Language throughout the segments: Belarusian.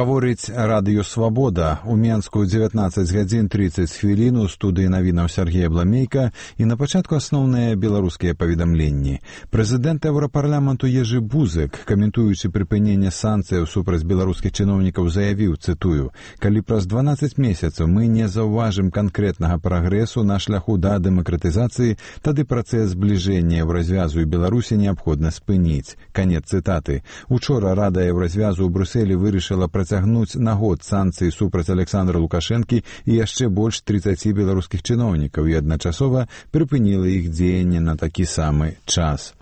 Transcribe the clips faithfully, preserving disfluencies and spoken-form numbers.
Гаворыць радыё «Свабода». У Менску дзевятнаццаць гадзін трыццаць хвілін, у студыі навінаў Сергея Бламейка, і на пачатку асноўныя беларускія паведамленні. Прэзідэнт Еўрапарламенту Ежы Бузык, каментуючы прыпыненне санкцыяў супраць беларускіх чыноўнікаў, заявіў, цытую: «Калі праз дванаццаць месяцаў мы не заўважым канкрэтнага прагрэсу на шляху да дэмакратызацыі, тады працэс збліжэння Еўразвязу і Беларусі неабходна спыніць». Канец цытаты. Учора Рада Еўразвязу ў Брюсселі вырашыла працягнуць на год санкцыі супраць Александра Лукашэнкі і яшчэ больш трыццаці беларускіх чыноўнікаў і адначасова прыпыніла іх дзеянне на такі самы час.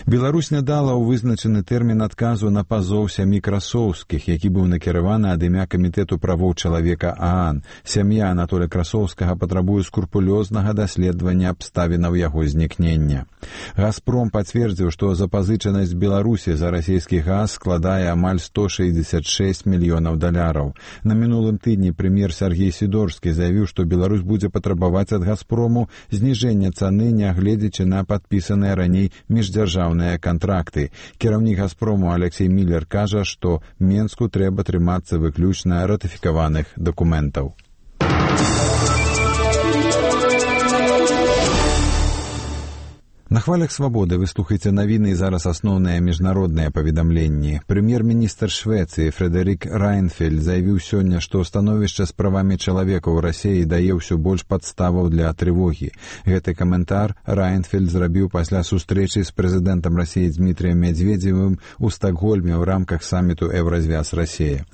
Беларусь не дала ў вызначаны тэрмін адказу на пазоў сям'і Красоўскіх, які быў накіраваны ад імя Камітэту правоў чалавека ААН. Сям'я Анатоля Красоўскага патрабуе скрупулёзнага даследавання абставінаў яго знікнення. «Газпром» пацвердзіў, што запазычанасць Беларусі за расійскі газ складае амаль сто шэсцьдзесят шэсць мільёнаў даляраў. На мінулым тыдні прэм'ер Сергей Сідорскі заявіў, што Беларусь будзе патрабаваць ад «Газпрому» зніжэння цаны, нягледзячы на падпісаныя раней міждзяржаўныя кантракты. Кіраўнік «Газпрому» Алексей Міллер кажа, што Менску трэба трымацца выключна ратыфікаваных дакументаў. На хвалях «Свабоды» вы слухаеце навіны і зараз асноўныя міжнародныя паведамленні. Прэм'ер-міністр Швецыі Фредерик Райнфельд заявіў сёння, што становішча з правамі чалавека ў Расіі дае ўсё больш падставаў для трывогі. Гэты каментар Райнфельд зрабіў пасля сустрэчы з прэзідэнтам Расіі Дмітрыем Медведзевым у Стакгольме ў рамках саміту «Еўразвяз-Расія».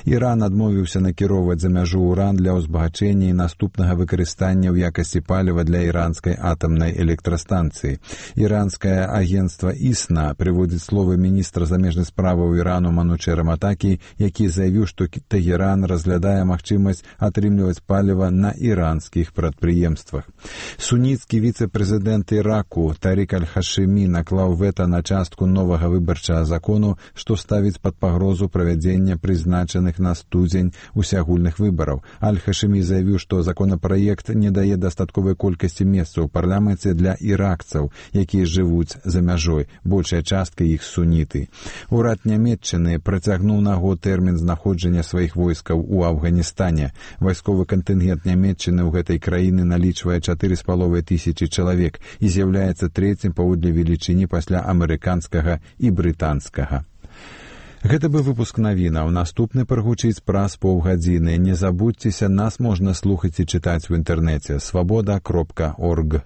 Іран адмовіўся накіроўваць за мяжу ўран для ўзбагачэння і наступнага выкарыстання ў якасці паліва для іранскай атамнай электрастанцыі. Іранскае агенцтва ІСНА прыводзіць словы міністра замежных справаў Ірану Манучэра Матакі, які заявіў, што Тэгеран разглядае магчымасць атрымліваць паліва на іранскіх прадпрыемствах. Суніцкі віцэ-прэзідэнт Іраку Тарік Аль-Хашымі наклаў вета на частку новага выбарчага закону, што ставіць пад пагрозу правядзення прызначаных на студзень усеагульных выбараў. Аль-Хашымі заявіў, што законапраект не дае дастатковай колькасці месцаў у парламенце для іракцаў, якія жывуць за мяжой, большая частка іх суніты. Урад Нямецчыны працягнуў на год тэрмін знаходжання сваіх войскаў у Афганістане. Вайсковы кантынгент Нямецчыны ў гэтай краіны налічвае чатыры з паловай тысячы чалавек і з'яўляецца трэцім паводле велічыні пасля амерыканскага і брытанскага. Гэта быў выпуск навінаў. Наступны прагучыць праз паўгадзіны. Не забудзьцеся, нас можна слухаць і чытаць у інтэрнэце свабода кропка орг.